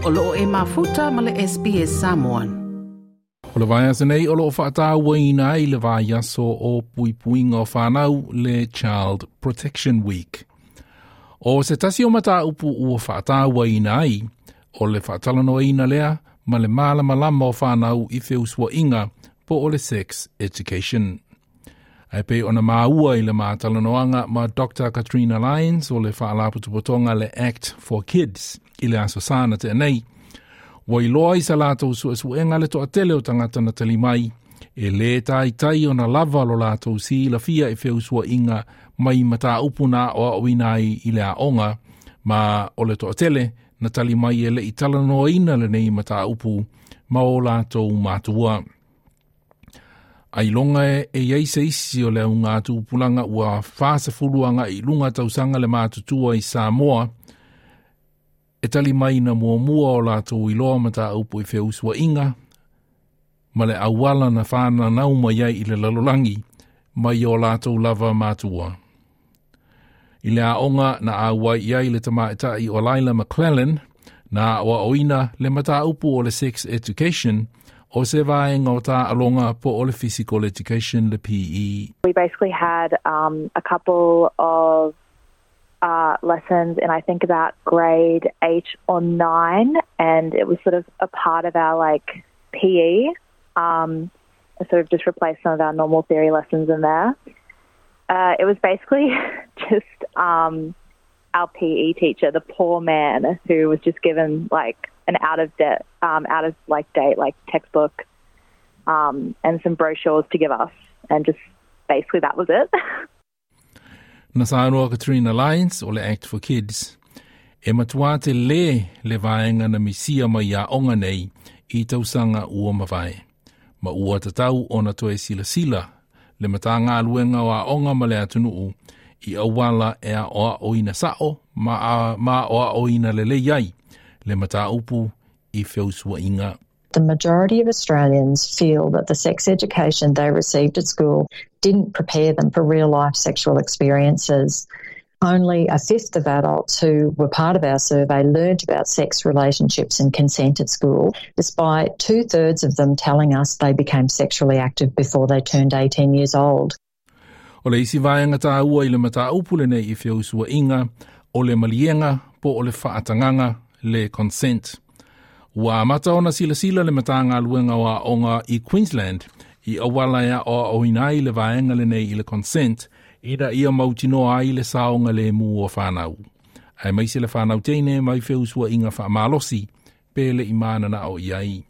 O loo e mafuta ma le SBS Samoan. O le vaiaso nei o loo faatauaina ai le vaiaso o puipuiga o fanau le Child Protection Week. O se tasi o mataupu ua faatauaina ai, o le faatalanoaina lea ma le malamalama o fanau i feusuaiga po o le sex education. Ae pei ona maua i le matalanoaga ma Dr. Katrina Lyons o le faalapotopotoga le Act for Kids i le aso Sa na tea nei. Ua iloa i sa latou suesuega le toatele o tagata na tali mai, e lē taitai ona lava lo latou silafia i feusuaiga mai mataupu na aoaoina ai i le aoga, ma o le toatele na tali mai e le'i talanoaina lenei mataupu ma o latou matua. Ailoga e i ai se isi o le augatupulaga ua 40 aga'i i luga tausaga le matutua i Samoa e tali mai na muamua o latou iloa mataupu i feusuaiga ma le auala na fananau mai ai i le lalolagi mai o latou lava matua. I le aoga na auai i ai le tamaitai o Laila McClellan, na aoaoina le mataupu o le sex education o se vaega o taaloga po o le physical education le PE. We basically had a couple of lessons in, I think, about grade 8 or 9, and it was sort of a part of our, like, PE. Sort of just replaced some of our normal theory lessons in there. It was basically just our PE teacher, the poor man, who was just given, like, an out of debt, out of, like, date, like, textbook and some brochures to give us, and just basically that was it. Na saunoa Katrina Lyons o le Act for Kids, e matua tele le vaega na misia mai aoga nei i tausaga ua mavae. Ma ua tatau ona toe silasila le Matagaluega o Aoga ma le atunuu i auala e aoaoina sao ma aoaoina lelei ai le mataupu i feusuaiga. The majority of Australians feel that the sex education they received at school didn't prepare them for real life sexual experiences. Only a fifth of adults who were part of our survey learned about sex relationships and consent at school, despite 2/3 of them telling us they became sexually active before they turned 18 years old. O le isi vaega taua i le mataupu lenei i feusuaiga o le maliega po o le faatagaga le consent. Ua amata ona silasila le Matagaluega o Aoga i Queensland i auala e aoaoina ai le vaega lenei i le consent ina ia mautinoa ai le saogalemu o fanau. Aemaise le fanau teine mai feusuaiga faamalosi pe le'i mananao i ai.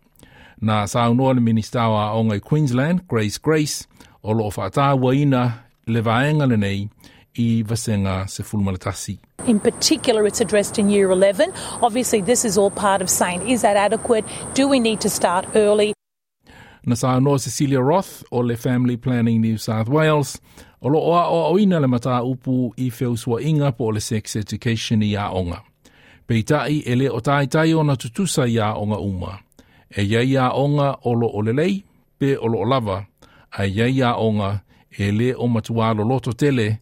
Na saunoa le Minista o Aoga i Queensland, Grace Grace, o loo faatauaina le vaega lenei i Vasega 11. In particular, it's addressed in Year 11. Obviously, this is all part of saying, is that adequate? Do we need to start early? Na saunoa Cecilia Roth o le Family Planning New South Wales, o loo aoaoina le mataupu i feusuaiga po o le sex education i aoga. Peitai e le o taitai ona tutusa i aoga uma. E iai aoga o loo lelei pe o loo lava, ae iai aoga e le o matua loloto tele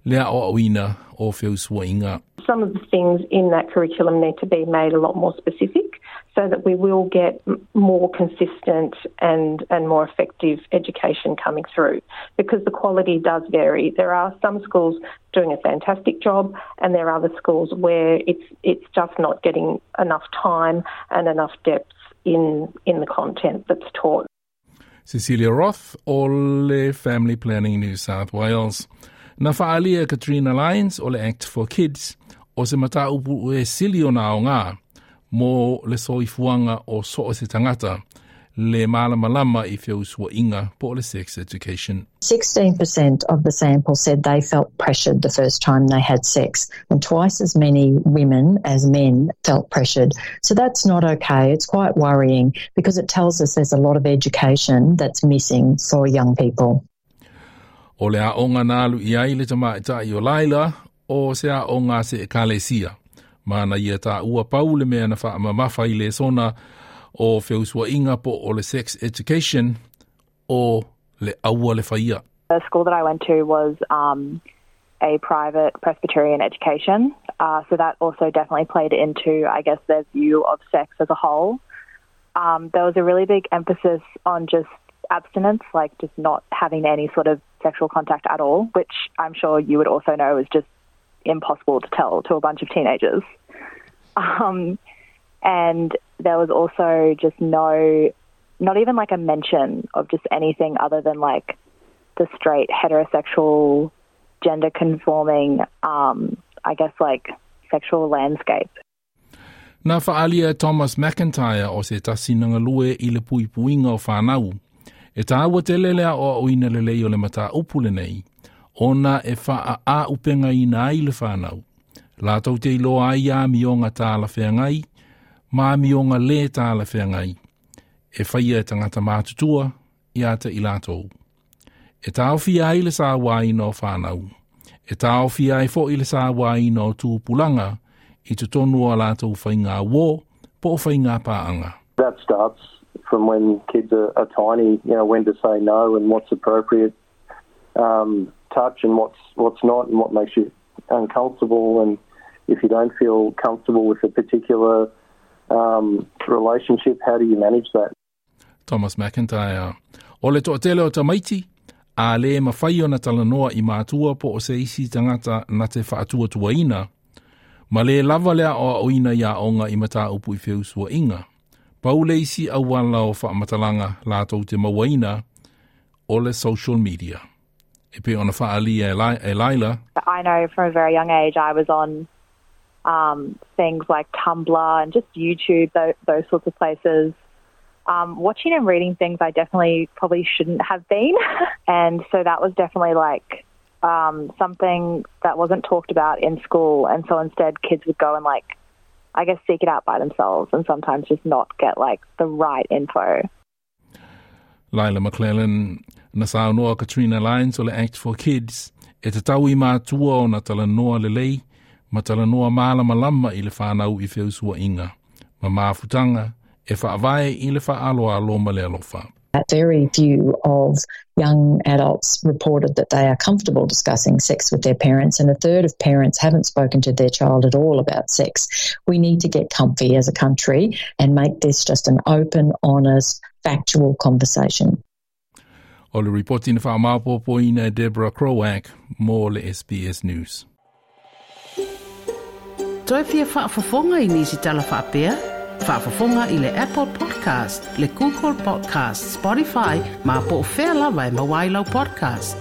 le aoaoina o feusuaiga. Some of the things in that curriculum need to be made a lot more specific so that we will get more consistent and more effective education coming through, because the quality does vary. There are some schools doing a fantastic job and there are other schools where it's just not getting enough time and enough depth in the content that's taught. Cecilia Roth o le Family Planning New South Wales. Na faaalia Katrina Lyons o le Act for Kids o se mataupu e sili ona aoga mo le soifuaga o so o se tagata le malamalama i feusuaiga po o le sex education. 16% of the sample said they felt pressured the first time they had sex, and twice as many women as men felt pressured. So that's not okay. It's quite worrying because it tells us there's a lot of education that's missing for young people. O le aoga na alu i ai le tamaitai o Laila o se aoga se ekalesia. Ma na ia taua pau le mea na faamamafa i lesona o feusuaiga po o le sex education o le aua le faia. The school that I went to was a private Presbyterian education. So that also definitely played into, I guess, their view of sex as a whole. There was a really big emphasis on just abstinence, like just not having any sort of sexual contact at all, which I'm sure you would also know is just impossible to tell to a bunch of teenagers. And there was also just no, not even like a mention of just anything other than like the straight heterosexual, gender conforming, I guess like sexual landscape. Na whaalia Thomas McIntyre o se tasi na galue i le puipuiga o whanau. E tāua tele lea o o ina lelei o le mataupu lenei, ona e wha a upenga ina ai le whanau. Lātou te iloa ai amioga talafeagai, ma amioga lē talafeagai. E whaia e tangata mātutua, ia te i lātou. E taofia ai le sauaina o whanau. E taofia ai foʻi le sauaina o tupulaga i totonu o lātou faiga uō po o faiga paaga. That starts from when kids are tiny, when to say no and what's appropriate touch and what's not and what makes you uncomfortable, and if you don't feel comfortable with a particular relationship, how do you manage that? Thomas McIntyre. O le toatele o tamaiti, a le mafai ona talanoa i matua po o se isi tagata na te faatuatuaina, ma le lava le aoaoina i aoga i mataupu i feusuaiga. Pau le isi auala o faamatalaga latou te mauaina o le social media. E pei ona faaalia e Laila. I know from a very young age I was on things like Tumblr and just YouTube, those sorts of places. Watching and reading things I definitely probably shouldn't have been. And so that was definitely like something that wasn't talked about in school. And so instead kids would go and like, I guess, seek it out by themselves and sometimes just not get like the right info. Laila McClellan. Na saunoa Katrina Lyons o le Act for Kids e tatau i matua ona talanoa lelei ma talanoa malamalama i le whanau i feusuaiga ma mafutaga e faavae i le faaaloalo ma le alofa. Very few of young adults reported that they are comfortable discussing sex with their parents, and a third of parents haven't spoken to their child at all about sex. We need to get comfy as a country and make this just an open, honest, factual conversation. O le ripoti na faamaopoopoina e Deborah Croak mo le SBS News. Toe fia faafofoga i nisi tala faapea? Faafofoga i le Apple Podcast, le Google Podcast, Spotify, ma po o fea lava e maua ai lau podcast.